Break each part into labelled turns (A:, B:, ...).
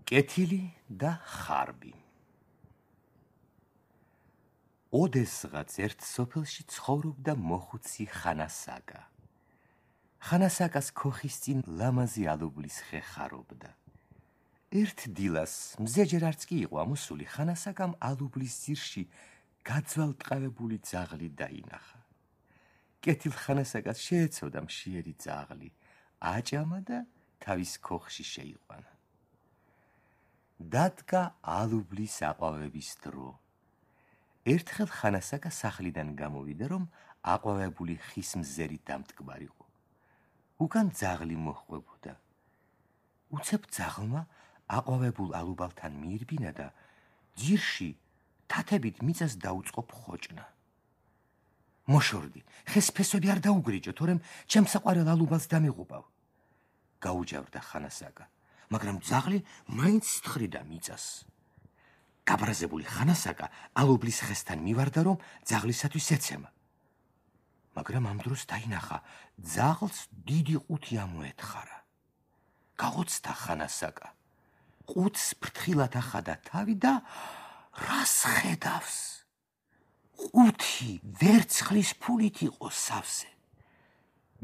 A: კეთილი და ხარბი. ოდესღაც ერთ სოფელში ცხოვრობდა მოხუცი ხანასაკა. ხანასაკას ქოხის წინ ლამაზი ალუბლის ხე ხარობდა. ერთ დილას მზეჯერ არც კი იყო ამოსული, ხანასაკამ ალუბლის ძირში გაძვალტყავებული ძაღლი დაინახა. კეთილ ხანასაკას შეეცოდა მშიერი ძაღლი, აჭამა და თავის ქოხში შეიყვანა. დადგა ალუბლის აყვავების დრო. ერთხელ ხანასაკა სახლიდან გამოვიდა, რომ აყვავებული ხის მზერი დამტკბარიყო. უკან ძაღლი მოჰყვებოდა. უცებ ძაღლმა აყვავებულ ალუბალთან მიირბინა და ძირში თათებით მიწას დაუწყო ფხოჭნა. მოშორდი, ხეს ფესვები არ დაუგრიჭო, თორემ ჩემს საყვარელ ალუბალს დამიღუპავ. გაუჯავრდა ხანასაკა, მაგრამ ძაღლი მაინც თხრიდა მიწას. გაბრაზებული ხანასაკა ალუბლის ხესთან მივარდა, რომ ძაღლისათვის ეცემა. მაგრამ ამ დროს დაინახა, ძაღლს დიდი ყუთი ამოეთხარა. გაოცდა ხანასაკა. ყუთს ფრთხილად ახადა თავი და რას ხედავს? ყუთი ვერცხლის ფულით იყო სავსე.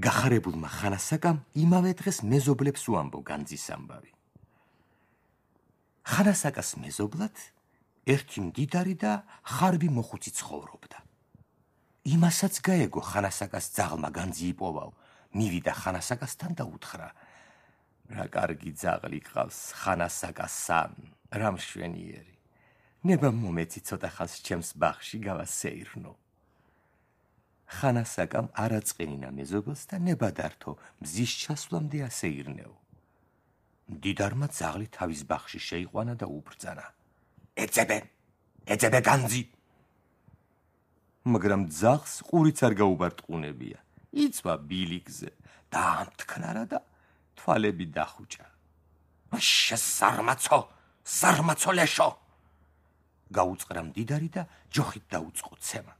A: გახარებულმა ხანასაკამ იმავე დღეს მეზობლებს უამბო განძის ამბავი. ხანასაკას მეზობლად ერთი მდიდარი და ხარბი მოხუცი ცხოვრობდა. იმასაც გაეგო ხანასაკას ძაღლმა განძი იპოვაო, მივიდა ხანასაკასთან და უთხრა: რა კარგი ძაღლი ყავს ხანასაკასან, რა მშვენიერი. ნება მომეცი ცოტა ხანს ჩემს ბაღში გავასეირნო. ხანასაკამ არაწყენინა მეზობელს და ნება დართო მზის ჩასვლამდე ასეირნეო. მდიდარმა ძაღლი თავის ბაღში შეიყვანა და უბრძანა: ეძებე განძი. მაგრამ ძაღლს ყურიც არ გაუბარტყუნებია. იწვა ბილიკზე, დაამტკნარა და თვალები დახუჭა. ზარმაცო ლეშო! გაუწყრა მდიდარი და ჯოხით დაუწყო ცემა.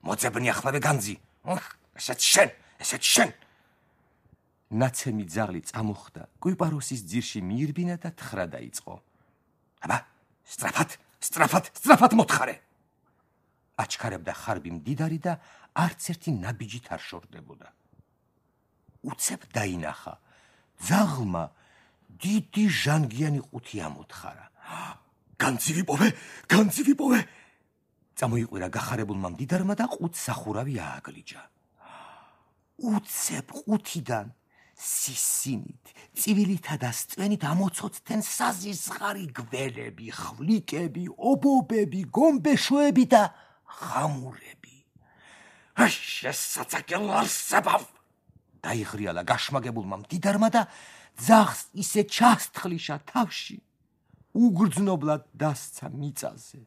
A: მოძებნი ახლავე განძი. ესეც შენ. ნაცემი ძაღლი წამოხდა, კვიპაროსის ძირში მიირბინა და თხრა დაიწყო. აბა, სწრაფად მოთხარე. აჩქარებდა ხარბი მდიდარი და არც ერთი ნაბიჯით არ შორდებოდა. უცებ დაინახა, ძაღლმა დიდი ჟანგიანი ყუთი ამოთხარა. განძი ვიპოვე! წამოიყვირა გახარებულმა მდიდარმა და ყუთს სახურავი ააგლიჯა. უცებ ყუთიდან სისინით, წივილითა და სწვენით ამოცოცხლდნენ საზიზღარი გველები, ხვლიკები, ობობები, გომბეშოები და ხამურები. შესაძაკელ არსებავ! დაიღრიალა გაშმაგებულმა მდიდარმა და ძაღლს ისე ჩასთხლიშა თავში, უგრძნობლად დასცა მიწაზე.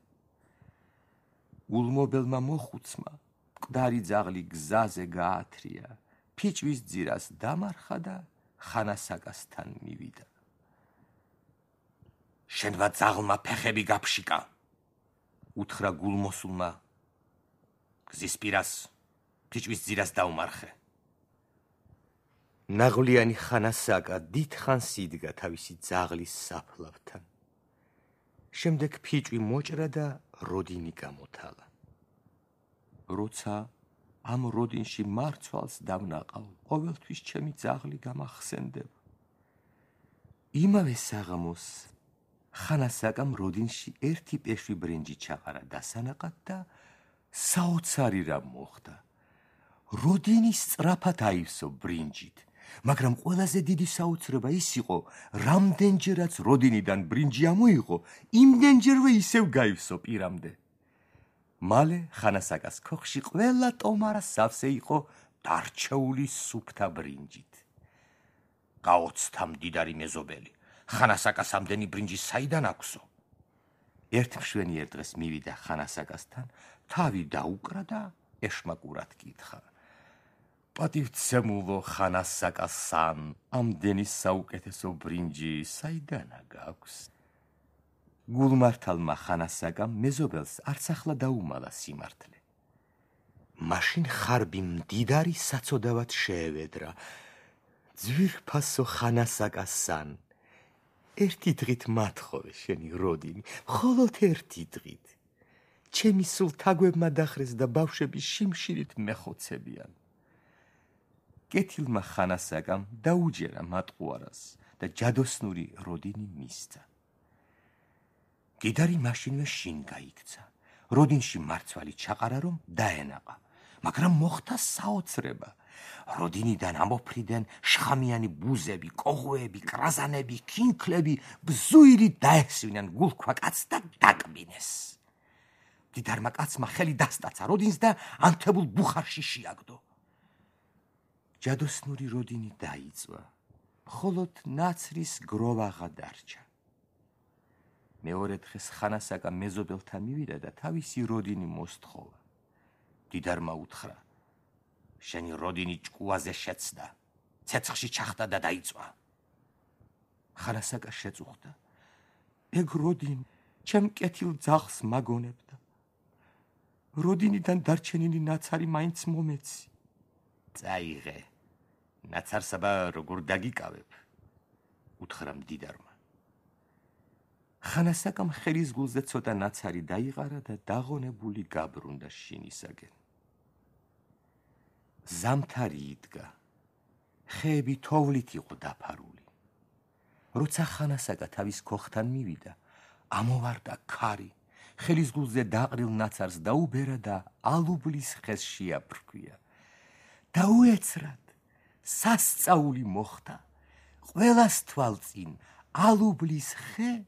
A: ულმობელმა მოხუცმა მკვდარი ძაღლი გზაზე გაათრია, ფიჭვის ძირას დამარხა და ხანასაკასთან მივიდა. შენმა ძაღლმა ფეხები გაფშიკა, უთხრა გულმოსულმა, გზის პირას ფიჭვის ძირას დაუმარხე. ნაღვლიანი ხანასაკა დიდხანს იდგა თავისი ძაღლის საფლავთან. შემდეგ ფიჭვი მოჭრა და როდინი გამოთალა. როცა ამ როდინში მარცვალს დავნაყავ, ყოველთვის ჩემი ძაღლი გამახსენდება. იმავე საღამოს ხანასაკამ როდინში ერთი პეშვი ბრინჯი ჩაყარა დასანაყად და საოცარი რამ მოხდა. როდინი სწრაფად აივსო ბრინჯით, მაგრამ ყველაზე დიდი საოცრება ის იყო, რამდენჯერაც როდინიდან ბრინჯი ამოიღო, იმდენჯერვე ისევ გაივსო პირამდე. მალე ხანასაკას ქოხში ყველა ტომარა სავსე იყო დარჩეული სუფთა ბრინჯით. გაოცდა მდიდარი მეზობელი, ხანასაკას ამდენი ბრინჯი საიდან აქვსო? ერთ მშვენიერ დღეს მივიდა ხანასაკასთან, თავი დაუკრა და ეშმაკურად კითხა: პატივცემულო ხანასაკასან, ამდენი საუკეთესო ბრინჯი საიდანა გაქვს? გულმართალმა ხანასაკამ მეზობელს არც ახლა დაუმალა სიმართლე. მაშინ ხარბი მდიდარი საცოდავად შეევედრა: ძვირფასო ხანასაკასან, ერთი დღით მათხოვე შენი როდინი, მხოლოდ ერთი დღით. ჩემი სულ თაგვებმა დახრეს და ბავშვები შიმშილით მეხოცებიან. კეთილმა ხანასაგამ დაუჯერა მატყუარას და ჯადოსნური როდინი მისცა. გიდარი მაშინვე შინ გაიქცა. როდინში მარცვალი ჩაყარა, რომ დაენაყა, მაგრამ მოხდა საოცრება. როდინიდან ამოფრიდან შხამიანი ბუზები, კოღოები, კრაზანები, კინკლები ბზუილი დაესვინან გულქვა კაცს და დაკბინეს. დიდარმა კაცმა ხელი დასტაცა როდინს და ანთებულ ბუხარში შეაგდო. ჯადოსნური როდინი დაიწვა, მხოლოდ ნაცრის გროვაღა დარჩა. მეორე დღეს ხანასაკა მეზობელთან მივიდა და თავისი როდინი მოსთხოვა. დიდარმა უთხრა, შენი როდინი ჭკუაზე შეცდა, ცეცხლში ჩახტა და დაიწვა. ხანასაკა შეწუხდა. ეგ როდინი ჩემ კეთილ ძაღლს მაგონებდა. როდინიდან დარჩენილი ნაცარი მაინც მომეცი. წაიღე, ნაცარსაბა როგორ დაგიკავებ, უთხრა მდიდარმა. ხანასაკამ ხელის გულზე ცოტა ნაცარი დაიყარა და დაღონებული გაბრუნდა შინისაკენ. ზამთარი იდგა, ხეები თოვლით იყო დაფარული. როცა ხანასაკა თავის ქოხთან მივიდა, ამოვარდა ქარი, ხელის გულზე დაყრილ ნაცარს დაუბერა და ალუბლის ხეს შეაფრქვია. დაუეცრად, სასწაული მოხდა. ყველას თვალწინ ალუბლის ხე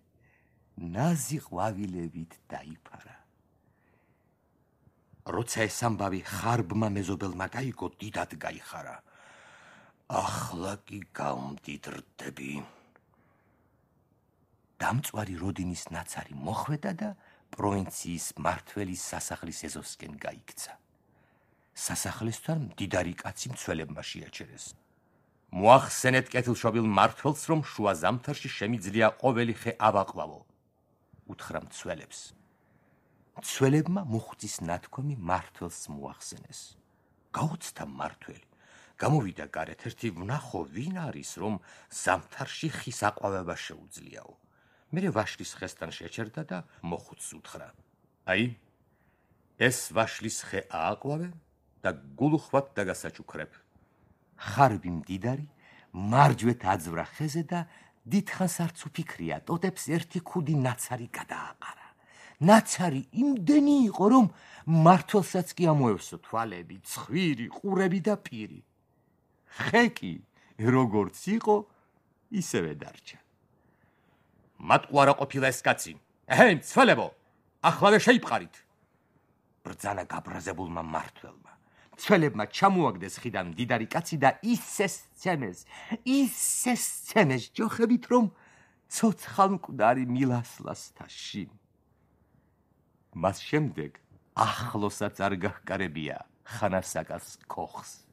A: ნაზი ყვავილებით დაიფარა. როცა ეს ამბავი ხარბმა მეზობელმა გაიგო, დიდად გაიხარა. ახლა კი გავმდიდრდები. დამწვარი როდინის ნაცარი მოხვედა და პროვინციის მმართველის სასახლის ეზოსკენ გაიქცა. სასახლესთან მდიდარი კაცი მცველებმა შეაჩერეს. მოახსენეთ კეთილშობილ მმართველს, რომ შუა ზამთარში შემიძლია ყოველი ხე ავაყვავო, უთხრა მცველებს. მცველებმა მოხუცის ნათქვამი მმართველს მოახსენეს. გაუცდა მმართველი. გამოვიდა გარეთ, ერთი ვნახო ვინ არის, რომ ზამთარში ხის აყვავება შეუძლიაო. მერე ვაშლის ხესთან შეჩერდა და მოხუცს უთხრა. აი, ეს ვაშლის ხე ააყვავე და გულუხვად დაგასაჩუქრებ. ხარბი მდიდარი მარჯვეთ აძვრა ხეზე და დიდხანს არც უფიქრია, ტოტებს ერთი ქუდი ნაცარი გადააყარა. ნაცარი იმდენი იყო, რომ მმართველსაც კი ამოევსო თვალები, ცხვირი, ყურები და პირი. ხე კი როგორც იყო, ისევე დარჩა. მატყუარა ყოფილა ეს კაცი. ეჰე, მცველებო, ახლავე შეიპყარით. ბრძანა გაბრაზებულმა მმართველმა. მცველებმა ჩამოაგდეს ხიდან მდიდარი კაცი და ისე სცემეს ჯოხებით, რომ ცოცხალმკვდარი მილასლასთა შინ. მას შემდეგ ახლოსაც არ გაჰკარებია ხანასაკას ქოხს.